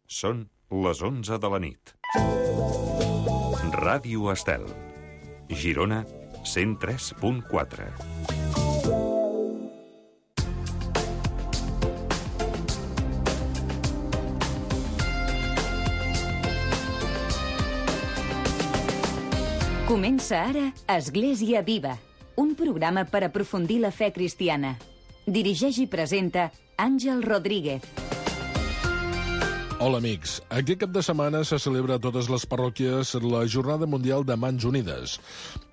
Són les 11 de la nit. Ràdio Estel. Girona, 103.4. Comença ara Església Viva, un programa per aprofundir la fe cristiana. Dirigeix i presenta Àngel Rodríguez. Hola, amics. Aquest cap de setmana se celebra a totes les parròquies la Jornada Mundial de Mans Unides.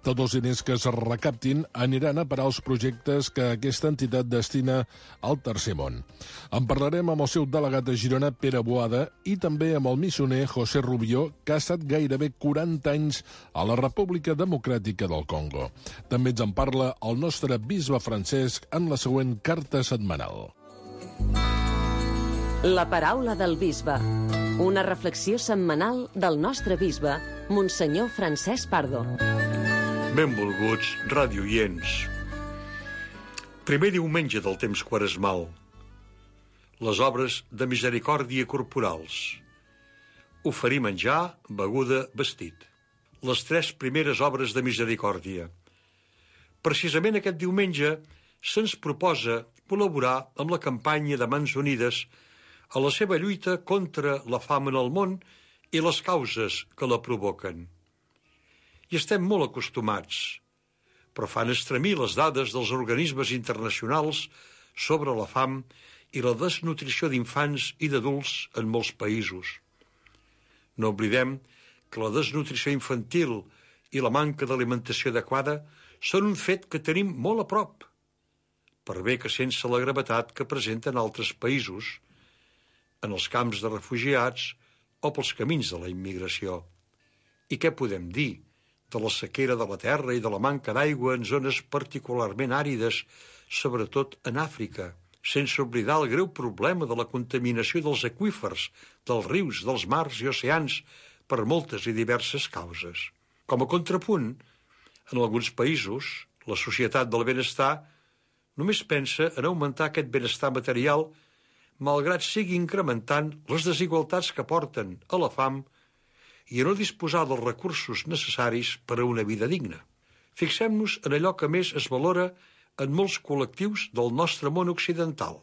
Tots els diners que es recaptin aniran a parar els projectes que aquesta entitat destina al Tercer Món. En parlarem amb el seu delegat a Girona, Pere Boada, i també amb el missioner José Rubió, que ha estat gairebé 40 anys a la República Democràtica del Congo. També ens en parla el nostre bisbe Francesc en la següent carta setmanal. La paraula del bisbe. Una reflexió setmanal del nostre bisbe, Monsenyor Francesc Pardo. Benvolguts radioients. Primer diumenge del temps quaresmal. Les obres de misericòrdia corporals. Oferir menjar, beguda, vestit. Les 3 primeres obres de misericòrdia. Precisament aquest diumenge se'ns proposa col·laborar amb la campanya de Mans Unides a la seva lluita contra la fam en el món i les causes que la provoquen. I estem molt acostumats, però fan estremir les dades dels organismes internacionals sobre la fam i la desnutrició d'infants i d'adults en molts països. No oblidem que la desnutrició infantil i la manca d'alimentació adequada són un fet que tenim molt a prop, per bé que sense la gravetat que presenten altres països, en els camps de refugiats o pels camins de la immigració. I què podem dir de la sequera de la terra i de la manca d'aigua en zones particularment àrides, sobretot en Àfrica, sense oblidar el greu problema de la contaminació dels aqüífers, dels rius, dels mars i oceans, per moltes i diverses causes. Com a contrapunt, en alguns països, la societat del benestar només pensa en augmentar aquest benestar material, malgrat sigui incrementant les desigualtats que porten a la fam i a no disposar dels recursos necessaris per a una vida digna. Fixem-nos en allò que més es valora en molts col·lectius del nostre món occidental.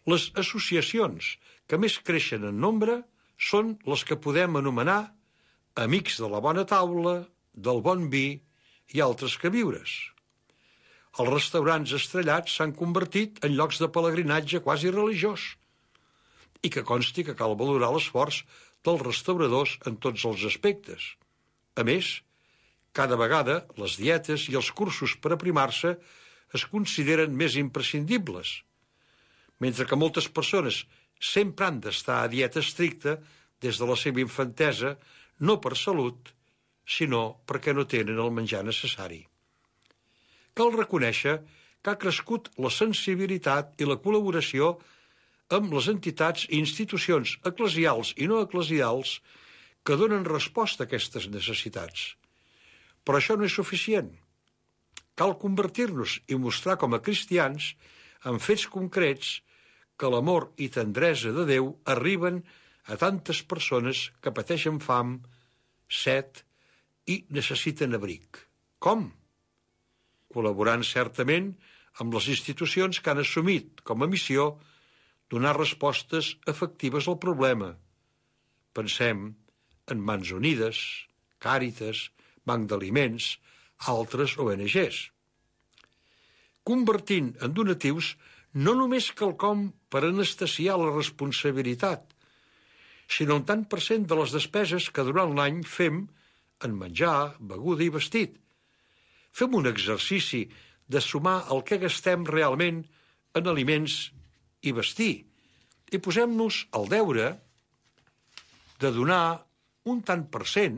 Les associacions que més creixen en nombre són les que podem anomenar amics de la bona taula, del bon vi i altres queviures. Els restaurants estrellats s'han convertit en llocs de pelegrinatge quasi religiós i que consti que cal valorar l'esforç dels restauradors en tots els aspectes. A més, cada vegada les dietes i els cursos per aprimar-se es consideren més imprescindibles, mentre que moltes persones sempre han d'estar a dieta estricta des de la seva infantesa, no per salut, sinó perquè no tenen el menjar necessari. Cal reconèixer que ha crescut la sensibilitat i la col·laboració amb les entitats i institucions eclesials i no eclesials que donen resposta a aquestes necessitats. Però això no és suficient. Cal convertir-nos i mostrar com a cristians, en fets concrets, que l'amor i tendresa de Déu arriben a tantes persones que pateixen fam, set i necessiten abric. Com? Col·laborant certament amb les institucions que han assumit com a missió donar respostes efectives al problema. Pensem en Mans Unides, Càritas, Banc d'Aliments, altres ONGs. Convertint en donatius no només quelcom per anestesiar la responsabilitat, sinó un tant per cent de les despeses que durant l'any fem en menjar, beguda i vestit. Fem un exercici de sumar el que gastem realment en aliments i vestir i posem-nos al deure de donar un tant per cent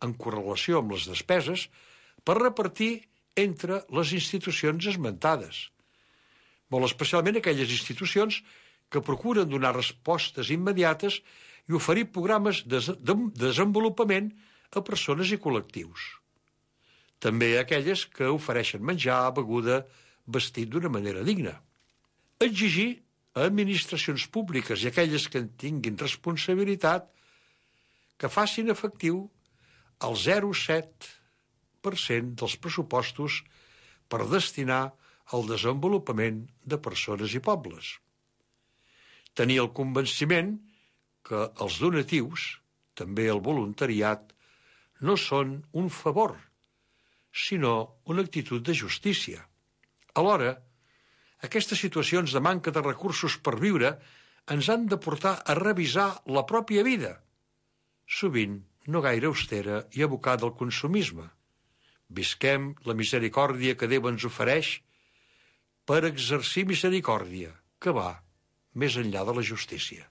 en correlació amb les despeses per repartir entre les institucions esmentades, molt especialment aquelles institucions que procuren donar respostes immediates i oferir programes de desenvolupament a persones i col·lectius. També aquelles que ofereixen menjar, beguda, vestit d'una manera digna. Exigir a administracions públiques i aquelles que en tinguin responsabilitat que facin efectiu el 0,7% dels pressupostos per destinar al desenvolupament de persones i pobles. Tenir el convenciment que els donatius, també el voluntariat, no són un favor, sinó una actitud de justícia. Alhora, aquestes situacions de manca de recursos per viure ens han de portar a revisar la pròpia vida, sovint no gaire austera i abocada al consumisme. Visquem la misericòrdia que Déu ens ofereix per exercir misericòrdia, que va més enllà de la justícia.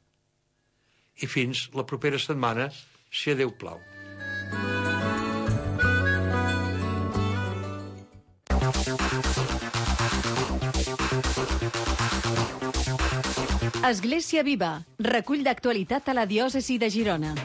I fins la propera setmana, si a Déu plau. Església Viva, recull d'actualitat a la diòcesi de Girona.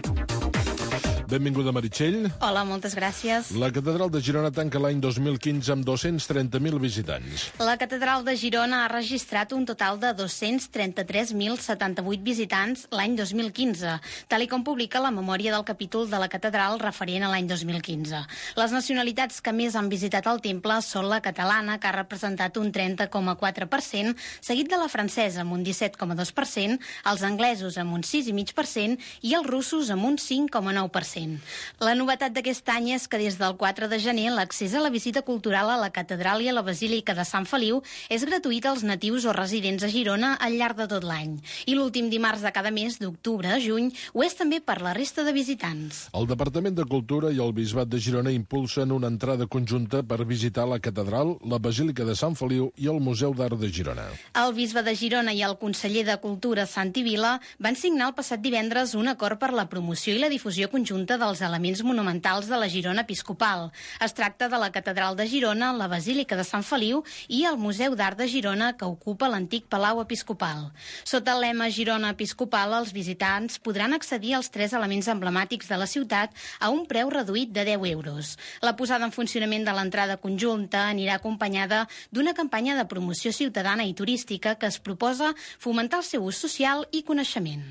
Benvinguda, Meritxell. Hola, moltes gràcies. La catedral de Girona tanca l'any 2015 amb 230.000 visitants. La catedral de Girona ha registrat un total de 233.078 visitants l'any 2015, tal i com publica la memòria del capítol de la catedral referent a l'any 2015. Les nacionalitats que més han visitat el temple són la catalana, que ha representat un 30,4%, seguit de la francesa amb un 17,2%, els anglesos amb un 6,5% i els russos amb un 5,9%. La novetat d'aquest any és que des del 4 de gener l'accés a la visita cultural a la catedral i a la basílica de Sant Feliu és gratuït als natius o residents a Girona al llarg de tot l'any. I l'últim dimarts de cada mes, d'octubre a juny, ho és també per la resta de visitants. El Departament de Cultura i el Bisbat de Girona impulsen una entrada conjunta per visitar la catedral, la basílica de Sant Feliu i el Museu d'Art de Girona. El bisbe de Girona i el conseller de Cultura, Santi Vila, van signar el passat divendres un acord per la promoció i la difusió conjunta dels elements monumentals de la Girona episcopal. Es tracta de la catedral de Girona, la basílica de Sant Feliu i el Museu d'Art de Girona, que ocupa l'antic Palau Episcopal. Sota el lema Girona Episcopal, els visitants podran accedir als 3 elements emblemàtics de la ciutat a un preu reduït de 10 euros. La posada en funcionament de l'entrada conjunta anirà acompanyada d'una campanya de promoció ciutadana i turística que es proposa fomentar el seu ús social i coneixement.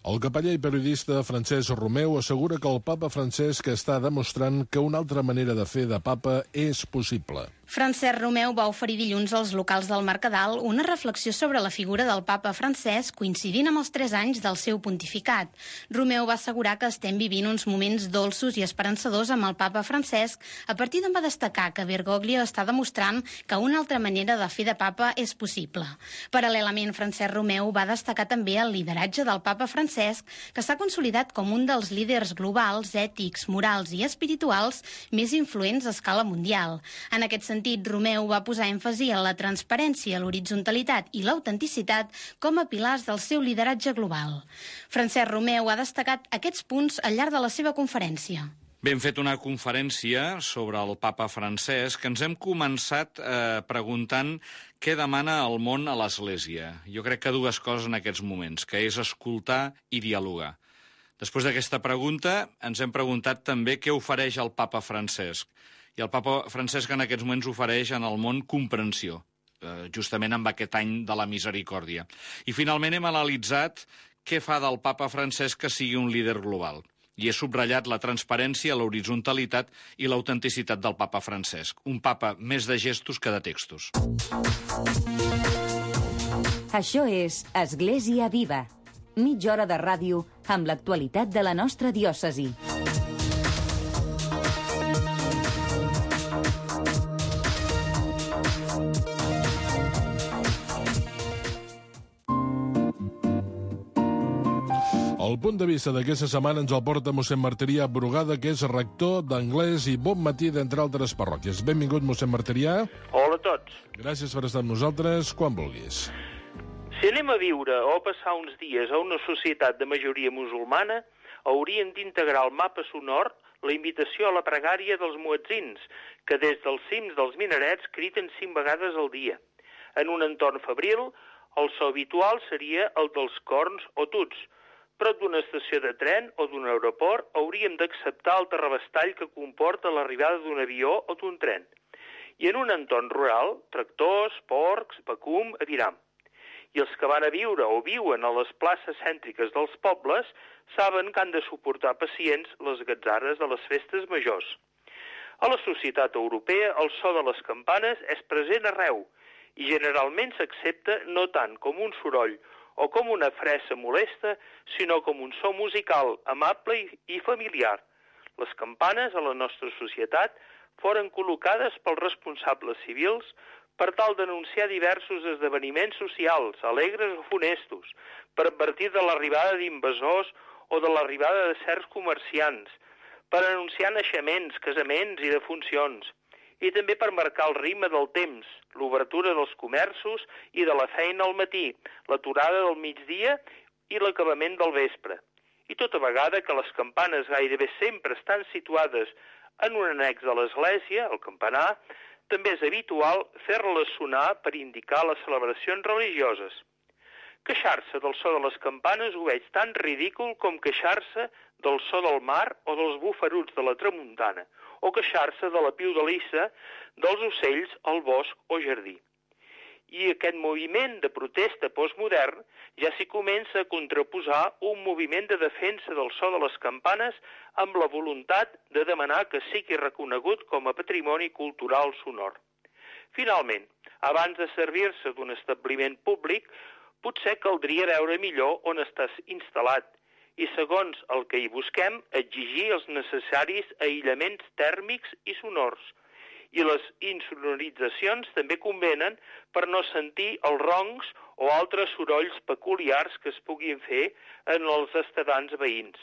El capellà i periodista Francesc Romeu assegura que el papa Francesc està demostrant que una altra manera de fer de papa és possible. Francesc Romeu va oferir dilluns als locals del Mercadal una reflexió sobre la figura del papa Francesc coincidint amb els 3 anys del seu pontificat. Romeu va assegurar que estem vivint uns moments dolços i esperançadors amb el papa Francesc, a partir d'on va destacar que Bergoglio està demostrant que una altra manera de fer de papa és possible. Paral·lelament, Francesc Romeu va destacar també el lideratge del papa Francesc, que s'ha consolidat com un dels líders globals, ètics, morals i espirituals més influents a escala mundial. En aquest sentit, Romeu va posar èmfasi en la transparència, l'horitzontalitat i l'autenticitat com a pilars del seu lideratge global. Francesc Romeu ha destacat aquests punts al llarg de la seva conferència. Bé, hem fet una conferència sobre el papa Francesc que ens hem començat preguntant què demana el món a l'Església. Jo crec que 2 coses en aquests moments, que és escoltar i dialogar. Després d'aquesta pregunta ens hem preguntat també què ofereix el papa Francesc. I el papa Francesc en aquests moments ofereix en el món comprensió, justament amb aquest any de la misericòrdia. I finalment hem analitzat què fa del papa Francesc que sigui un líder global. I he subratllat la transparència, l'horitzontalitat i l'autenticitat del papa Francesc. Un papa més de gestos que de textos. Això és Església Viva. Mitja hora de ràdio amb l'actualitat de la nostra diòcesi. El punt de vista d'aquesta setmana ens el porta mossèn Martirià Brugada, que és rector d'anglès i Bon Matí, d'entre altres parròquies. Benvingut, mossèn Martirià. Hola a tots. Gràcies per estar amb nosaltres, quan vulguis. Si anem a viure o a passar uns dies a una societat de majoria musulmana, hauríem d'integrar al mapa sonor la invitació a la pregària dels muetzins, que des dels cims dels minarets criden 5 vegades al dia. En un entorn febril, el so habitual seria el dels corns o tuts. Prop d'una estació de tren o d'un aeroport hauríem d'acceptar el terrabastall que comporta l'arribada d'un avió o d'un tren. I en un entorn rural, tractors, porcs, vacum, aviram. I els que van a viure o viuen a les places cèntriques dels pobles saben que han de suportar pacients les gatzarres de les festes majors. A la societat europea el so de les campanes és present arreu i generalment s'accepta no tant com un soroll o com una fressa molesta, sinó com un so musical amable i familiar. Les campanes a la nostra societat foren col·locades pels responsables civils per tal d'anunciar diversos esdeveniments socials, alegres o funestos, per advertir de l'arribada d'invasors o de l'arribada de certs comerciants, per anunciar naixements, casaments i defuncions, i també per marcar el ritme del temps, l'obertura dels comerços i de la feina al matí, l'aturada del migdia i l'acabament del vespre. I tota vegada que les campanes gairebé sempre estan situades en un annex de l'església, el campanar, també és habitual fer-les sonar per indicar les celebracions religioses. Queixar-se del so de les campanes ho veig tan ridícul com queixar-se del so del mar o dels bufaruts de la tramuntana, o queixar-se de la piudalissa dels ocells al bosc o jardí. I aquest moviment de protesta postmodern ja s'hi comença a contraposar un moviment de defensa del so de les campanes amb la voluntat de demanar que sigui reconegut com a patrimoni cultural sonor. Finalment, abans de servir-se d'un establiment públic, potser caldria veure millor on estàs instal·lat i, segons el que hi busquem, exigir els necessaris aïllaments tèrmics i sonors. I les insonoritzacions també convenen per no sentir els roncs o altres sorolls peculiars que es puguin fer en els estadants veïns.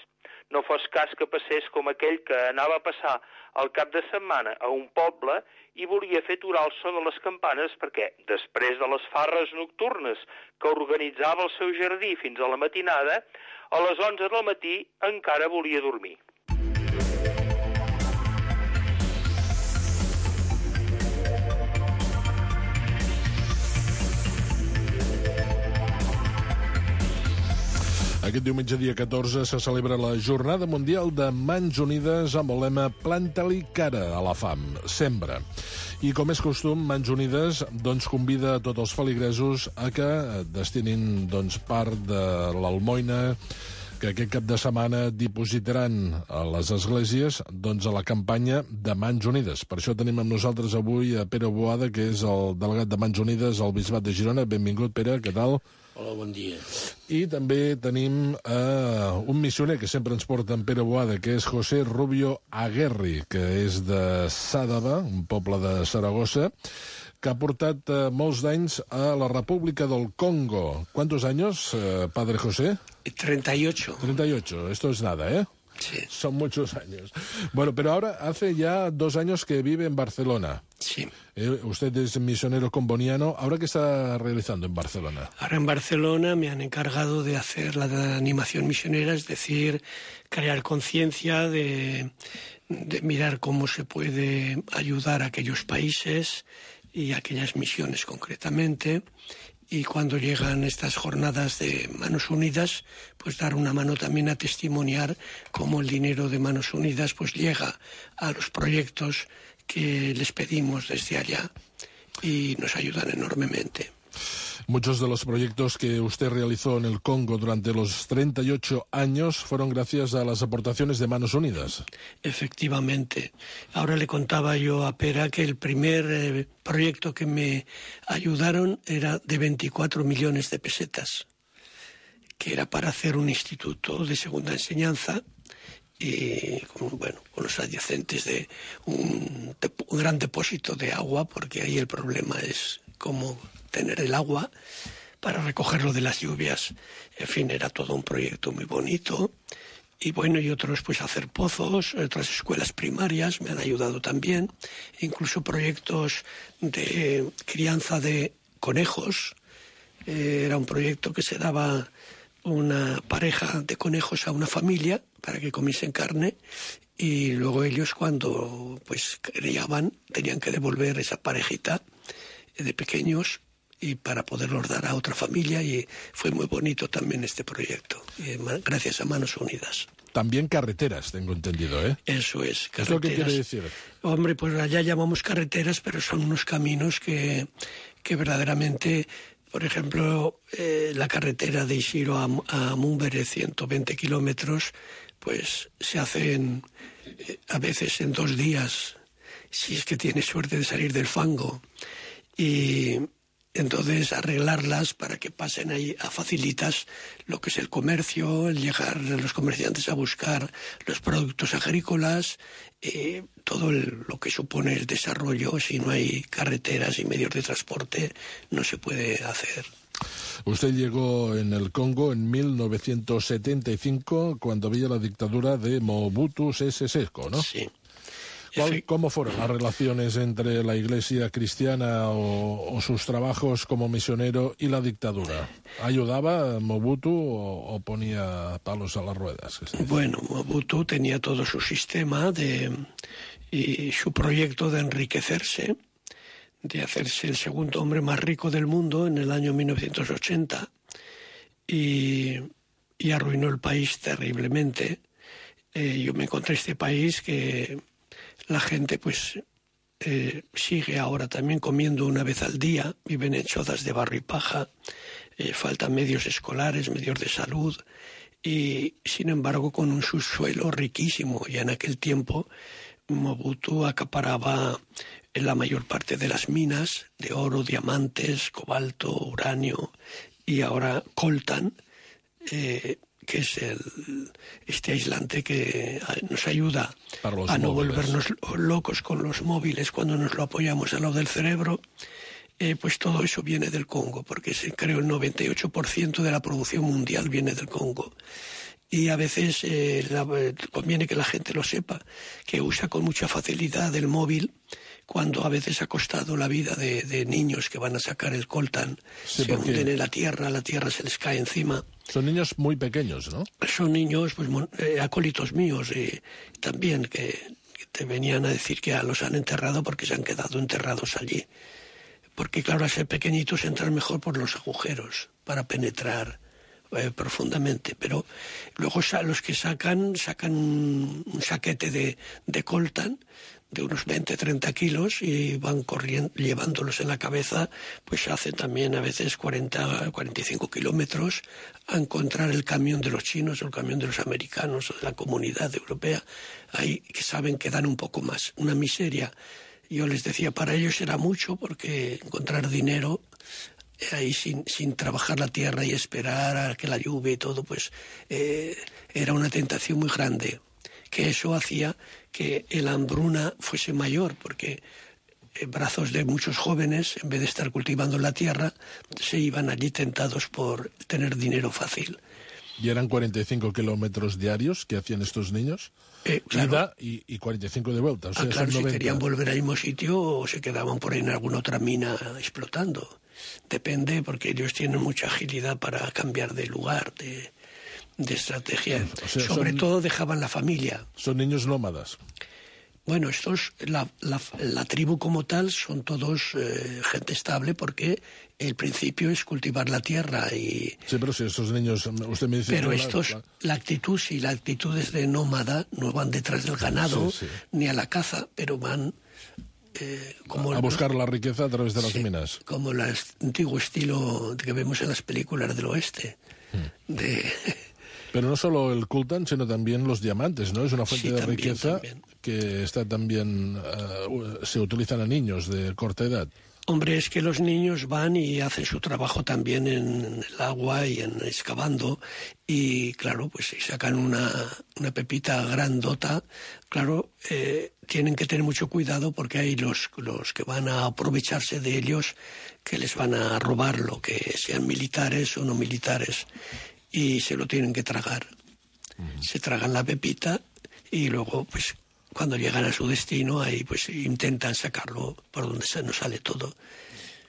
No fos cas que passés com aquell que anava a passar el cap de setmana a un poble i volia fer aturar el so de les campanes perquè, després de les farres nocturnes que organitzava el seu jardí fins a la matinada, a les 11 del matí encara volia dormir. Aquest diumenge, dia 14, se celebra la Jornada Mundial de Mans Unides amb el lema Planta-li cara a la fam, sembra. I com és costum, Mans Unides convida a tots els feligresos a que destinin part de l'almoina que aquest cap de setmana dipositaran a les esglésies a la campanya de Mans Unides. Per això tenim amb nosaltres avui a Pere Boada, que és el delegat de Mans Unides al Bisbat de Girona. Benvingut, Pere, què tal? Hola, bon dia. I també tenim un missioner que sempre ens porta en Pere Boada, que és José Rubio Aguerri, que és de Sàdava, un poble de Saragossa, que ha portat molts d'anys a la República del Congo. ¿Cuántos años, padre José? 38. 38, esto es nada, ¿eh? Sí. Son muchos años. Bueno, pero ahora hace ya 2 años que vive en Barcelona. Sí. Usted es misionero comboniano. ¿Ahora qué está realizando en Barcelona? Ahora en Barcelona me han encargado de hacer la animación misionera, es decir, crear conciencia, de mirar cómo se puede ayudar a aquellos países y a aquellas misiones concretamente. Y cuando llegan estas jornadas de Manos Unidas, pues dar una mano también a testimoniar cómo el dinero de Manos Unidas pues llega a los proyectos que les pedimos desde allá y nos ayudan enormemente. Muchos de los proyectos que usted realizó en el Congo durante los 38 años fueron gracias a las aportaciones de Manos Unidas. Efectivamente. Ahora le contaba yo a Pera que el primer proyecto que me ayudaron era de 24 millones de pesetas, que era para hacer un instituto de segunda enseñanza y con los adyacentes de un gran depósito de agua, porque ahí el problema es cómo tener el agua para recogerlo de las lluvias. En fin, era todo un proyecto muy bonito. Y y otros pues hacer pozos, otras escuelas primarias me han ayudado también. Incluso proyectos de crianza de conejos. Era un proyecto que se daba una pareja de conejos a una familia para que comiesen carne y luego ellos cuando pues criaban tenían que devolver esa parejita de pequeños y para poderlos dar a otra familia, y fue muy bonito también este proyecto, gracias a Manos Unidas. También carreteras, tengo entendido, ¿eh? Eso es, carreteras. ¿Qué es lo que quiere decir? Hombre, pues allá llamamos carreteras, pero son unos caminos que verdaderamente Por ejemplo, la carretera de Ishiro a Mumbere, 120 kilómetros, pues se hacen a veces en 2 días, si es que tienes suerte de salir del fango. Y entonces arreglarlas para que pasen ahí facilitas lo que es el comercio, el llegar a los comerciantes a buscar los productos agrícolas, todo lo que supone el desarrollo. Si no hay carreteras y medios de transporte, no se puede hacer. Usted llegó en el Congo en 1975, cuando había la dictadura de Mobutu Sese Seko, ¿no? Sí. ¿Cómo fueron las relaciones entre la Iglesia cristiana o sus trabajos como misionero y la dictadura? ¿Ayudaba Mobutu o ponía palos a las ruedas? Bueno, Mobutu tenía todo su sistema y su proyecto de enriquecerse, de hacerse el segundo hombre más rico del mundo en el año 1980 y arruinó el país terriblemente. Yo me encontré este país que la gente pues sigue ahora también comiendo una vez al día, viven en chozas de barro y paja, faltan medios escolares, medios de salud y sin embargo con un subsuelo riquísimo. Ya en aquel tiempo Mobutu acaparaba la mayor parte de las minas de oro, diamantes, cobalto, uranio y ahora coltan, que es este aislante que nos ayuda a no volvernos locos con los móviles cuando nos lo apoyamos al lado del cerebro. Pues todo eso viene del Congo, porque creo el 98% de la producción mundial viene del Congo. Y a veces conviene que la gente lo sepa, que usa con mucha facilidad el móvil, cuando a veces ha costado la vida de niños que van a sacar el coltan, sí, se hunden en la tierra se les cae encima. Son niños muy pequeños, ¿no? Son niños, pues acólitos míos, también, que te venían a decir que ya los han enterrado porque se han quedado enterrados allí. Porque claro, al ser pequeñitos entran mejor por los agujeros para penetrar profundamente, pero luego los que sacan un saquete de coltan de unos 20-30 kilos y van corriendo, llevándolos en la cabeza, pues hacen también a veces 40-45 kilómetros a encontrar el camión de los chinos o el camión de los americanos o de la comunidad europea, ahí que saben que dan un poco más, una miseria. Yo les decía, para ellos era mucho, porque encontrar dinero ahí sin trabajar la tierra y esperar a que la lluvia y todo, pues era una tentación muy grande, que eso hacía que la hambruna fuese mayor, porque brazos de muchos jóvenes, en vez de estar cultivando la tierra, se iban allí tentados por tener dinero fácil. ¿Y eran 45 kilómetros diarios que hacían estos niños? Claro. Ida y 45 de vuelta. O sea, claro, son 90. Si querían volver al mismo sitio o se quedaban por ahí en alguna otra mina explotando. Depende, porque ellos tienen mucha agilidad para cambiar de lugar, de estrategia. O sea, sobre todo dejaban la familia. Son niños nómadas. Bueno, la tribu como tal son todos gente estable, porque el principio es cultivar la tierra y... Sí, pero si estos niños, usted me dice... Pero la actitud es de nómada, no van detrás del ganado, ni a la caza, pero van... a buscar la riqueza a través de las minas. Como el antiguo estilo que vemos en las películas del oeste. Pero no solo el coltan, sino también los diamantes, ¿no? Es una fuente de riqueza que está también se utilizan a niños de corta edad. Hombre, es que los niños van y hacen su trabajo también en el agua y excavando, y claro, pues si sacan una pepita grandota, claro, tienen que tener mucho cuidado, porque hay los que van a aprovecharse de ellos, que les van a robar, lo que sean militares o no militares, y se lo tienen que tragar. Se tragan la pepita y luego, pues, cuando llegan a su destino, ahí pues intentan sacarlo por donde nos sale todo.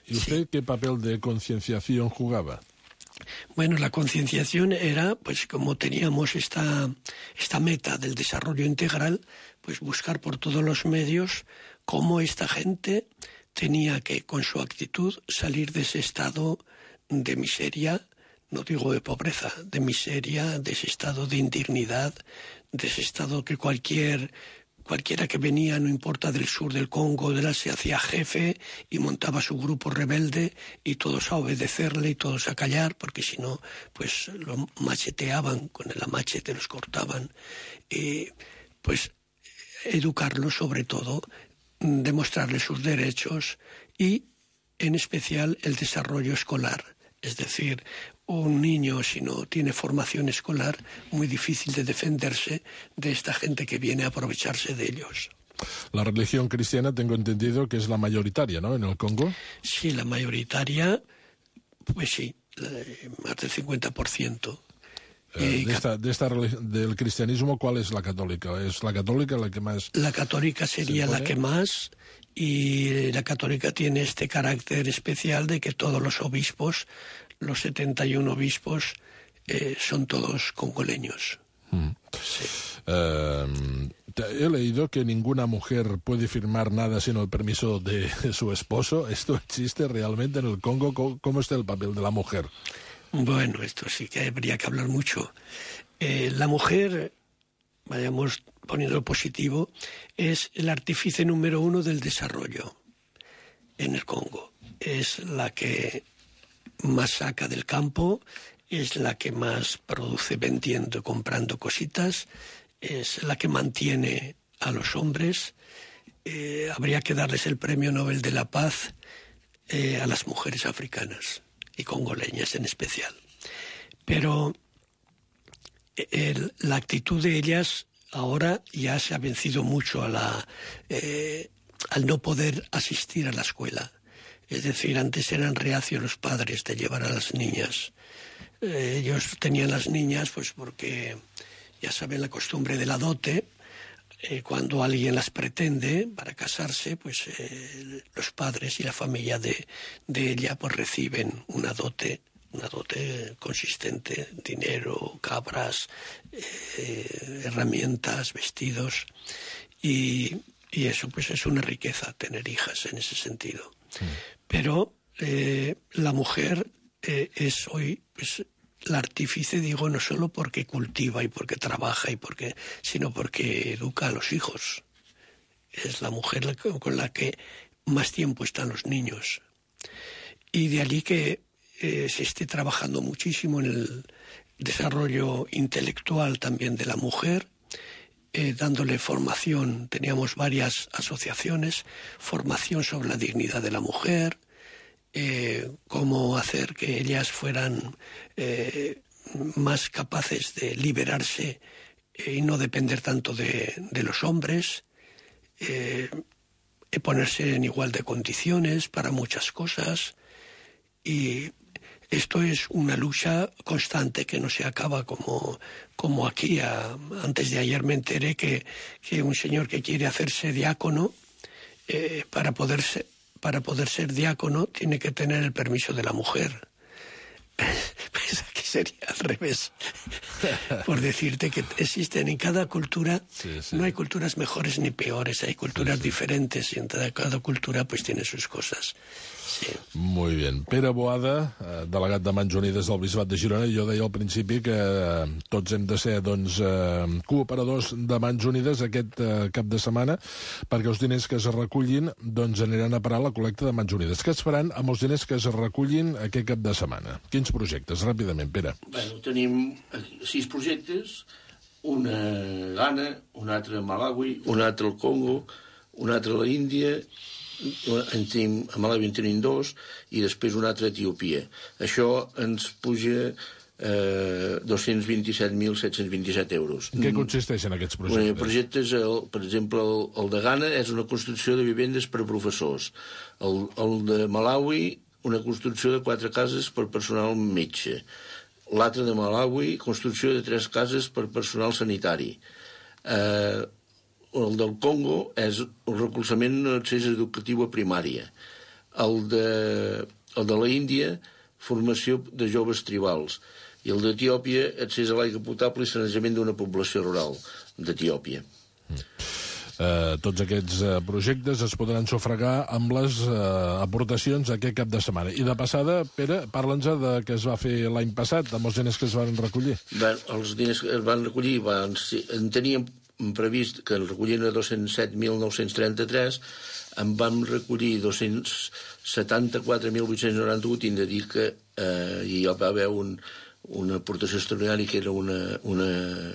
¿Y usted qué papel de concienciación jugaba? Bueno, la concienciación era, pues como teníamos esta meta del desarrollo integral, pues buscar por todos los medios cómo esta gente tenía que, con su actitud, salir de ese estado de miseria, no digo de pobreza, de miseria, de ese estado de indignidad, de ese estado que cualquier cualquiera que venía, no importa del sur del Congo, se hacía jefe y montaba su grupo rebelde y todos a obedecerle y todos a callar, porque si no, pues lo macheteaban, con el machete los cortaban. Y pues educarlos sobre todo, demostrarles sus derechos y en especial el desarrollo escolar. Es decir, un niño, si no tiene formación escolar, muy difícil de defenderse de esta gente que viene a aprovecharse de ellos. La religión cristiana, tengo entendido que es la mayoritaria, ¿no?, en el Congo. Sí, la mayoritaria, pues sí, más del 50%. Del cristianismo, ¿cuál es la católica? ¿Es la católica la que más...? La católica sería la que más, y la católica tiene este carácter especial de que todos los obispos, los 71 obispos, son todos congoleños. Sí. He leído que ninguna mujer puede firmar nada sin el permiso de su esposo. ¿Esto existe realmente en el Congo? ¿Cómo está el papel de la mujer? Bueno, esto sí que habría que hablar mucho. La mujer, vayamos poniéndolo positivo, es el artífice número 1 del desarrollo en el Congo. Es la que más saca del campo, es la que más produce vendiendo y comprando cositas, es la que mantiene a los hombres. Habría que darles el Premio Nobel de la Paz a las mujeres africanas y congoleñas en especial. Pero la actitud de ellas ahora ya se ha vencido mucho al no poder asistir a la escuela. Es decir, antes eran reacios los padres de llevar a las niñas. Ellos tenían las niñas pues porque ya saben la costumbre de la dote. Cuando alguien las pretende para casarse, pues los padres y la familia de ella pues reciben una dote consistente, dinero, cabras, herramientas, vestidos, y eso pues es una riqueza tener hijas en ese sentido. Sí. Pero la mujer es hoy pues la artífice, digo, no solo porque cultiva y porque trabaja sino porque educa a los hijos. Es la mujer con la que más tiempo están los niños. Y de allí que se esté trabajando muchísimo en el desarrollo intelectual también de la mujer, dándole formación. Teníamos varias asociaciones, formación sobre la dignidad de la mujer, cómo hacer que ellas fueran más capaces de liberarse y no depender tanto de los hombres, ponerse en igual de condiciones para muchas cosas. Y esto es una lucha constante que no se acaba como aquí. Antes de ayer me enteré que un señor que quiere hacerse diácono, para poder ser diácono tiene que tener el permiso de la mujer. Pues aquí sería al revés. Por decirte que existen en cada cultura, no hay culturas mejores ni peores, hay culturas diferentes y en cada cultura pues tiene sus cosas. Sí. Molt bé. Pere Boada, delegat de Mans Unides del Bisbat de Girona, jo deia al principi que tots hem de ser cooperadors de Mans Unides aquest cap de setmana perquè els diners que es recullin aniran a parar a la col·lecta de Mans Unides. Què es faran amb els diners que es recullin aquest cap de setmana? Quins projectes? Ràpidament, Pere. Bueno, tenim 6 projectes, un a Ghana, un altre a Malawi, un altre al Congo, un altre a l'Índia, a Malawi en tenim 2 i després un altre a Etiòpia. Això ens puja 227.727 euros. En què consisteixen aquests projectes? Projectes, per exemple, el de Ghana és una construcció de vivendes per a professors. El de Malawi, una construcció de 4 cases per personal metge. L'altre de Malawi, construcció de 3 cases per personal sanitari. El del Congo és el recolzament en l'accés educatiu a primària. El de la Índia, formació de joves tribals. I el d'Etiòpia, accés a l'aigua potable i sanejament d'una població rural d'Etiòpia. Tots aquests projectes es podran sufragar amb les aportacions aquest cap de setmana. I de passada, Pere, parla'ns de què es va fer l'any passat, amb els diners que es van recollir. Els diners que es van recollir en teníem previst que el recollien a 207.933, en vam recollir 274.891, i hem de dir que hi va haver una aportació extraordinària que era una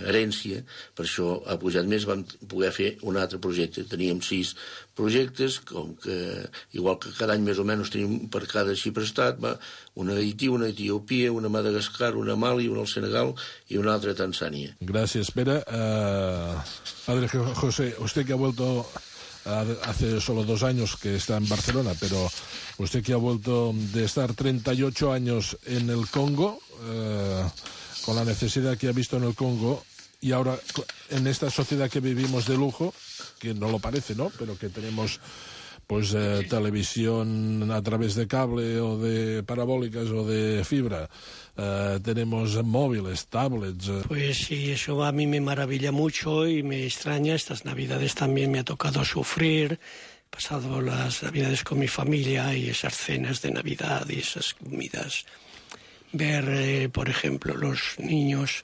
herència, per això ha pujat més, vam poder fer un altre projecte. Teníem 6 projectes, com que, igual que cada any més o menys tenim per cada xifra estat, una a Haití, una a Etiòpia, una a Madagascar, una a Mali, una al Senegal i una altra a Tanzània. Gracias, Pere. Padre José, usted que ha vuelto hace solo 2 años que está en Barcelona, pero usted que ha vuelto de estar 38 años en el Congo, con la necesidad que ha visto en el Congo, y ahora en esta sociedad que vivimos de lujo, que no lo parece, ¿no?, pero que tenemos pues televisión a través de cable o de parabólicas o de fibra, tenemos móviles, tablets. Pues sí, eso a mí me maravilla mucho y me extraña. Estas Navidades también me ha tocado sufrir. He pasado las Navidades con mi familia y esas cenas de Navidad y esas comidas. Ver, por ejemplo, los niños,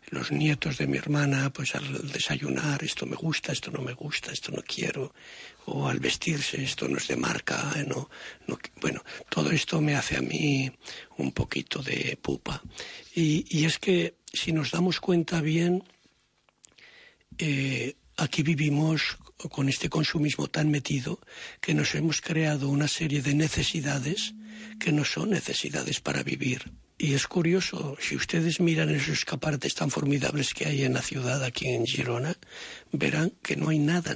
los nietos de mi hermana, pues al desayunar, esto me gusta, esto no me gusta, esto no quiero, o al vestirse, esto no es de marca, no. Bueno, todo esto me hace a mí un poquito de pupa. Y es que, si nos damos cuenta bien, aquí vivimos con este consumismo tan metido que nos hemos creado una serie de necesidades que no son necesidades para vivir. Y es curioso, si ustedes miran esos escaparates tan formidables que hay en la ciudad, aquí en Girona, verán que no hay nada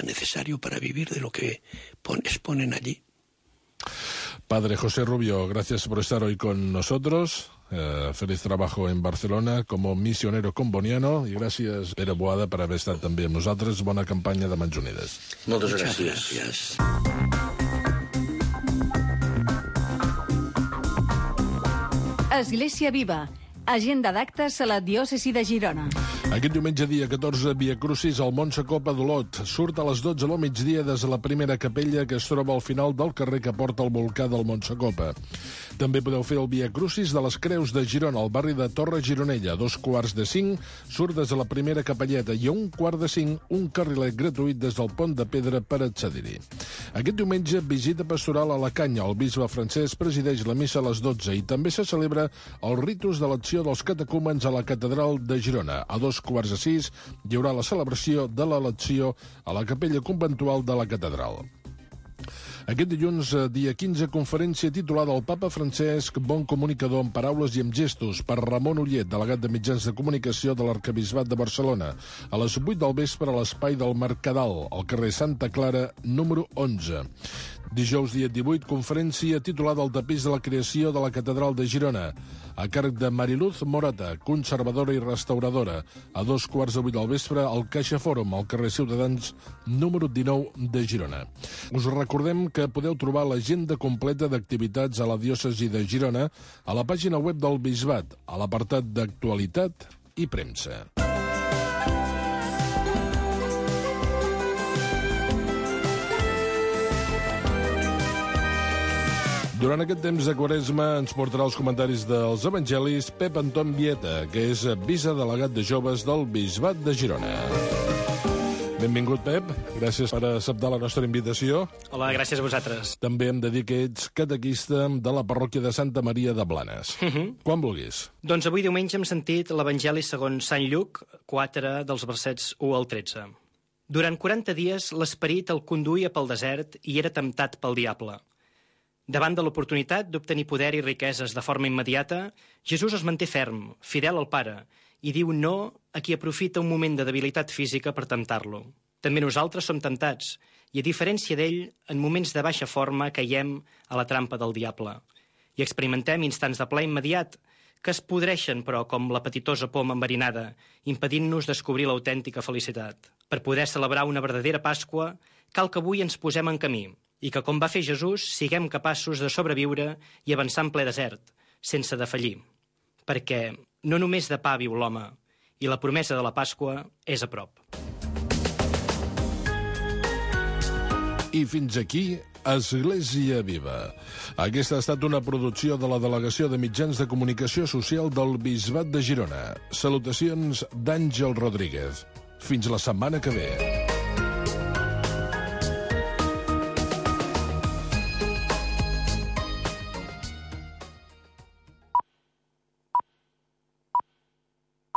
necesario para vivir de lo que exponen allí. Padre José Rubio, gracias por estar hoy con nosotros. Feliz trabajo en Barcelona como misionero comboniano, i gràcies, Pere Boada, per haver estat també amb nosaltres. Bona campanya de Mans Unides. Moltes gràcies. Església Viva. Agenda d'actes a la diòcesi de Girona. Aquest diumenge, dia 14, Via Crucis al Montsecopa d'Olot. Surt a les 12 del migdia des de la primera capella que es troba al final del carrer que porta al volcà del Montsecopa. També podeu fer el Via Crucis de les Creus de Girona, al barri de Torre Gironella. A 4:45 surt des de la primera capelleta i a 4:45 un carrilet gratuït des del Pont de Pedra per accedir-hi. Aquest diumenge, visita pastoral a la Canya. El bisbe Francesc presideix la missa a les 12 i també se celebra el ritus de l'acció dels catecúmens a la catedral de Girona. A 5:45 hi haurà la celebració de l'elecció a la capella conventual de la catedral. Aquest dilluns, dia 15, conferència titulada El Papa Francesc, bon comunicador amb paraules i amb gestos, per Ramon Ullet, delegat de mitjans de comunicació de l'Arquebisbat de Barcelona, a les 8 del vespre a l'espai del Mercadal, al carrer Santa Clara, número 11. Dijous, dia 18, conferència titulada El tapís de la creació de la catedral de Girona, a càrrec de Mariluz Morata, conservadora i restauradora, a 2:15 del vespre al Caixa Fòrum, al carrer Ciutadans, número 19 de Girona. Us recordem que podeu trobar l'agenda completa d'activitats a la diòcesi de Girona a la pàgina web del Bisbat, a l'apartat d'actualitat i premsa. Durant aquest temps de Quaresma ens portarà els comentaris dels evangelis Pep Anton Vieta, que és vicedelegat de joves del Bisbat de Girona. Benvingut, Pep. Gràcies per acceptar la nostra invitació. Hola, gràcies a vosaltres. També hem de dir que ets catequista de la parròquia de Santa Maria de Blanes. Quan vulguis. Doncs avui diumenge hem sentit l'Evangeli segons Sant Lluc, 4 dels versets 1 al 13. Durant 40 dies l'esperit el conduïa pel desert i era temptat pel diable. Davant de l'oportunitat d'obtenir poder i riqueses de forma immediata, Jesús es manté ferm, fidel al Pare, i diu no a qui aprofita un moment de debilitat física per temptar-lo. També nosaltres som temptats, i a diferència d'ell, en moments de baixa forma caiem a la trampa del diable. I experimentem instants de plaer immediat, que es podreixen, però, com l'apetitosa poma enverinada, impedint-nos descobrir l'autèntica felicitat. Per poder celebrar una verdadera Pasqua, cal que avui ens posem en camí, i que, com va fer Jesús, siguem capaços de sobreviure i avançar en ple desert, sense defallir. Perquè no només de pa viu l'home, i la promesa de la Pasqua és a prop. I fins aquí, Església Viva. Aquesta ha estat una producció de la Delegació de Mitjans de Comunicació Social del Bisbat de Girona. Salutacions d'Àngel Rodríguez. Fins la setmana que ve.